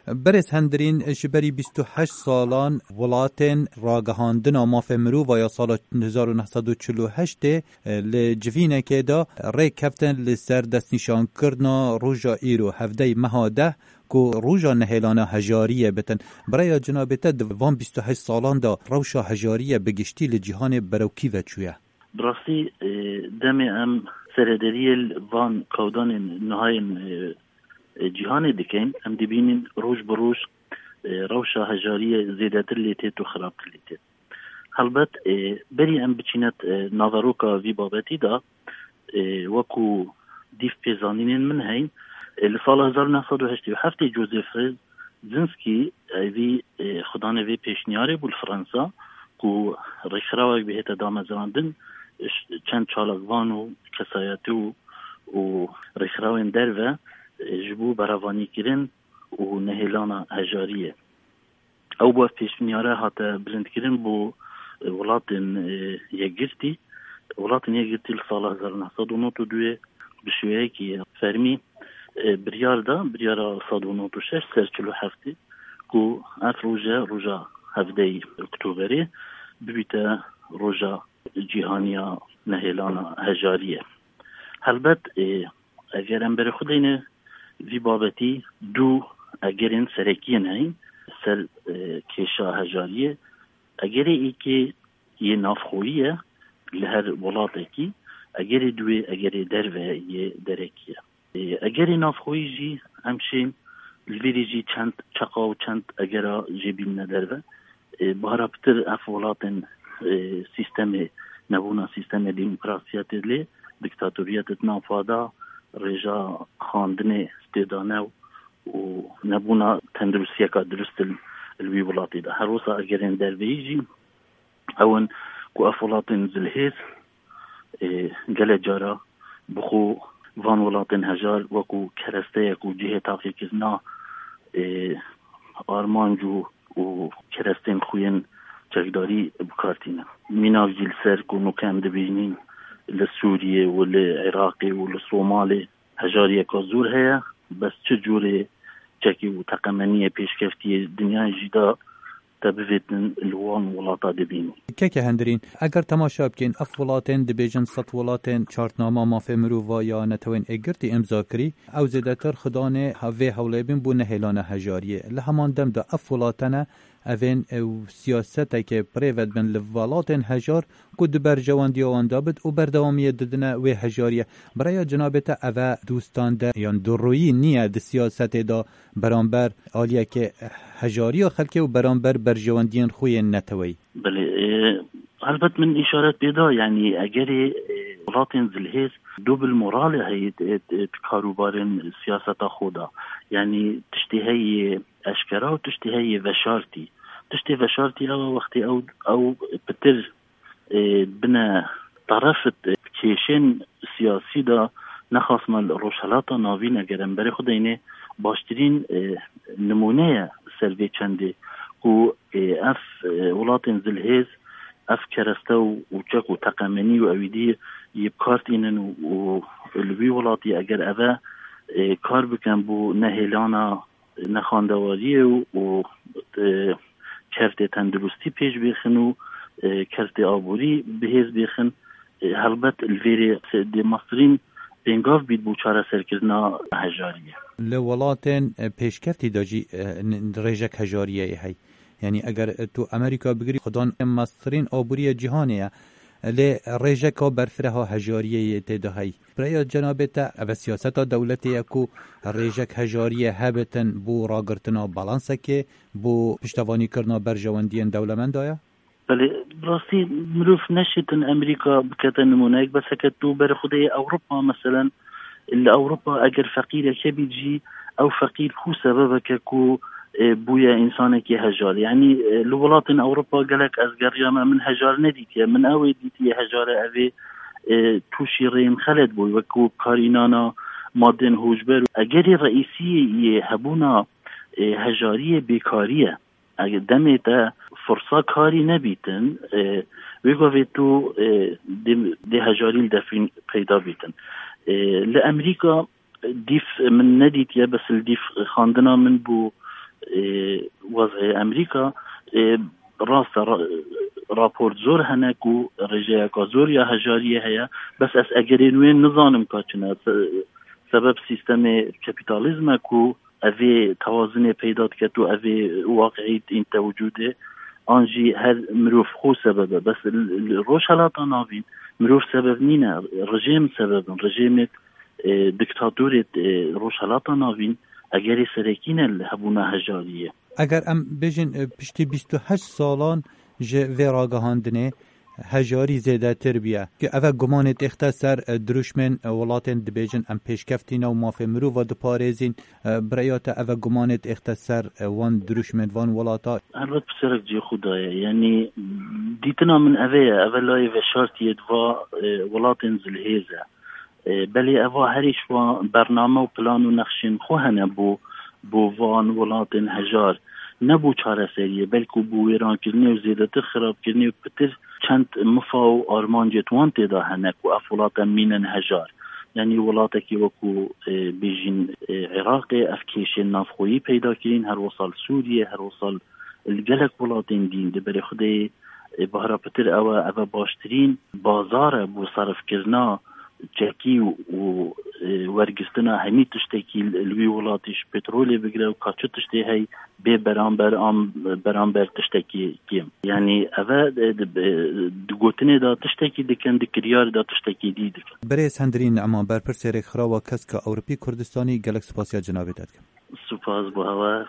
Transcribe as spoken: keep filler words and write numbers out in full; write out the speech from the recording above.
Berêz Hendirîn, ji berî bîst û heşt salan welatên ragihandina mafê mirova ya sala hezar û neh sed û çil û heştê li civînekê de rê keftin li ser destnîşankirina roja îro, hevdeyê meha deh, ku roja nehêlana hejariyê bitin. Bi raya cinabê te, di van bîst û heşt salan de rewşa hejariyê bi giştî li cîhanê berew kî ve çûye? Bi rastî, e, demê em serederiyê li van kewdanên nihayên, e, e, cîhanê dikin, em dibînin roj bi roj, e, rewşa hejariyê zêdetir lê têt û xirabtir lê têt. Helbet, e, berî em biçîne, e, naveroka vî babetî de, e, wekû dîv pêzanînên min heyn, e, li sala hezar û neh sed û heştê û heftê Joseph Brzezinski, e, vî, e, xudanê vê pêşniyarê bû li Fransa, ku rêkxirawek bihête damezrandin, ş-, çend çalakvan û kesayetî û, û rêkxirawên derve, e, ji bo berevanîkirin û nehêlana hejariyê. Ew bi pêşniyare hate bilindkirin bo, e, welatên, e, yekgirtî. Welatên yekgirtî li sala hezar û neh sed û nod û duyê bi şêweyekî fermî, e, biryar da, biryara sed û nod û şeş ser çil û heftê, ku ev roje, roja hevdeyê Oktoberê bibîte roja cîhaniya nehêlana hejariyê. Helbet, e, eger em berê xwe deyne vî babetî, du egerên serekî yên heyî ser, e, kêşa hejariyê. Egerê êkê yê navxweyî ye li her welatekî, egerê duê egerê derve yê derekî ye. E, egerê navxweyî jî em şên li vîrî jî çend çeqa û çend egera jê bînine derve. E, bi hara pitir ev welatên, e, sîstemê, nebûna sîstemê demokrasiyetê lê, diktatoriyetê di nav xwe de, rêja xandinê tê dane û nebûna tenduristiyeka dirust li, li wî welatî de. Her wisa egerên derveyî jî ew in ku ev welatên zilhêz, e, gelek cara bi xwe van welatên hejar wekû keresteyek û cihê taqîkirina, e, armanc û, û kerestên xwe yên çekdarî bi kar tînin. Mînak jî li ser ku nûke em dibînin li Sûriyê û li Iraqê û li Somalê hejariyeka zor heye, bes çi cûrê çekî û teqemeniyê pêşkeftiyê dinyayê jî de te bivêtin li wan welata dibînî. Keke Hendirîn, eger temaşa bikên, ev welatên dibêjin sed welatên Çartnama Mafê Mirova ya Netewên Êkgirtî îmza kirî, ew zêdetir xidanê vê hewlê bin bo nehêlana hejariyê. Li heman dem de ev welatene evên ew siyaseteke bi rê ve dibin li welatên hejar ku di berjewendiya wan de bit û berdewamiyê didine wê hejariyê. Bi raya cinabê te, eve dostane yan duroyî niye di siyasetê de beramber aliyeke hejariya xelkê û beramber berjewendiyên xwe yên neteweyî? Belê, e, helbet min îşaret pê da, yanî egerê, e, welatên zilhêz dobil moralê heye, e, e, di karûbarên siyaseta xwe de. Yanî tiştê heye eşkera û tiştê heye veşartî. Tiştê veşartî ew e, wextê ew, ew pitir, e, bine terefit, e, kêşên siyasî de, nexasme li Rojhelata Navîn eger em berê xwe deyne, baştirîn, e, nimûne ye ser vê çendê ku, e, ev, e, welatên zilhêz, ev kereste û, û çek û teqemenî û ewîdî yê bi kar tînin û, û li wî welatî eger eve, e, kar bikin bo nehêlana nexandewariyê û, û, e, kertê tenduristî pêş bêxin û, e, kertê aborî bihêz bêxin, e, helbet li vêrê se-, dê mestirîn pêngav bît bo çareserkirina hejariyê. Li welatên, e, pêşkeftî de jî, e, n-, rêjek hejariyê heye. Yanî eger, e, tu Amerîka bigirî, xudan mestirîn aboriyê cîhanê ye. Lê rêjeka berfireha hejariyê yê tê de heye. Bi raya cenabê te, ev siyaseta dewletê ye ku rêjek hejariyê hebitin bo ragirtina balansekê, bo piştevanîkirina berjewendiyên dewlemenda ye? Belê, bi rastî mirov neşêtin Amerîka bikete nimûneyek, bes heke tu berê xwe deyê Ewropa, meselen, li Ewropa eger feqîrek hebît jî, ew feqîr ku sebebeke ku, e, bûye însanekî hejar. Yanî, e, li welatên Ewropa gelek ez geriyame, min hejar nedîtiye. Min ew ê dîtiye hejare, ev ê, e, tûşî rêyên xelet bûye. Wekû karînana madên hûşber. Egerî reîsiyê yê hebûna, e, hejariyê bêkarî ye. Eger demê te firsa karî nebîtin, e, wê gavê tu, e, dê, dê hejarî li defîn peyda bîtin. E, li Amerîka dîf min nedîtiye, bes li dîf xandina min bû, Ê, wezê Amerîka, ê, rast e, ra-, raport zor hene ku rêjeyeka zor ya hejariyê heye, bes ez egerên wê nizanim ka çi ne. Se-, sebeb sîstemê kapîtalîzm e ku evê tewazinê peyda diket û evê waqiî dînte wicûdê, an jî her mirov xwe sebeb e. Bes li, li Rojhelata Navîn mirov sebeb nîne, rejêm sebeb in. Rejêmê, e, diktatorê, e, Rojhelata Navîn egerê serekî ne li hebûna hejariyê. Eger em bêjin, e, piştî bîst û heşt salan ji vê ragihandinê hejarî zêdetir bûye. Ki ev e gumanê têxte ser, e, dirûşmên, e, welatên dibêjin em pêşkeftî ne û mafê mirova diparêzîn. E, bi rêya te ev e gumanê têxte ser, e, wan dirûşmên van welata? Helbet pirsêrek cihê xwe daye. Yanî dîtina min ev e, ev e layê veşartiyê di va, e, welatên zilhêz e. E, belê eva herî ji wan bername û plan û nexşên xwe hene bo, bo van welatên hejar. Ne bo çareseriyê, belkû bo wêrankirinê û zêdetir xirabkirinê û pitir çend mifa û armancê di wan tê de hene ku ev welat em mînin hejar. Yanî welatekî wekû, e, bêjin, e, Iraqê ev kêşên navxweyî peyda kirîn, her wisa li Sûriyê, her wisa li gelek welatên dîn. Di berê Xwedê, e, bahra pitir ew e, ev e baştirîn bazar e bo serifkirina çekî û, û, e, wergistina hemî tiştekî li, li wî welatî ji petrolê bigire û ka çi tiştê hey bê beramber an beramber tiştekî kêm. Yanî ev e, e, di, e, di gotinê de tiştekî dikin, di kiryarê de tiştekî dî dikin. Birêz Hendirîn Ne'man, berpirsê Rêkxirawa Keska Ewropî Kurdistanî, gelek spasiya cenabê te dikim. Spas bo hewa,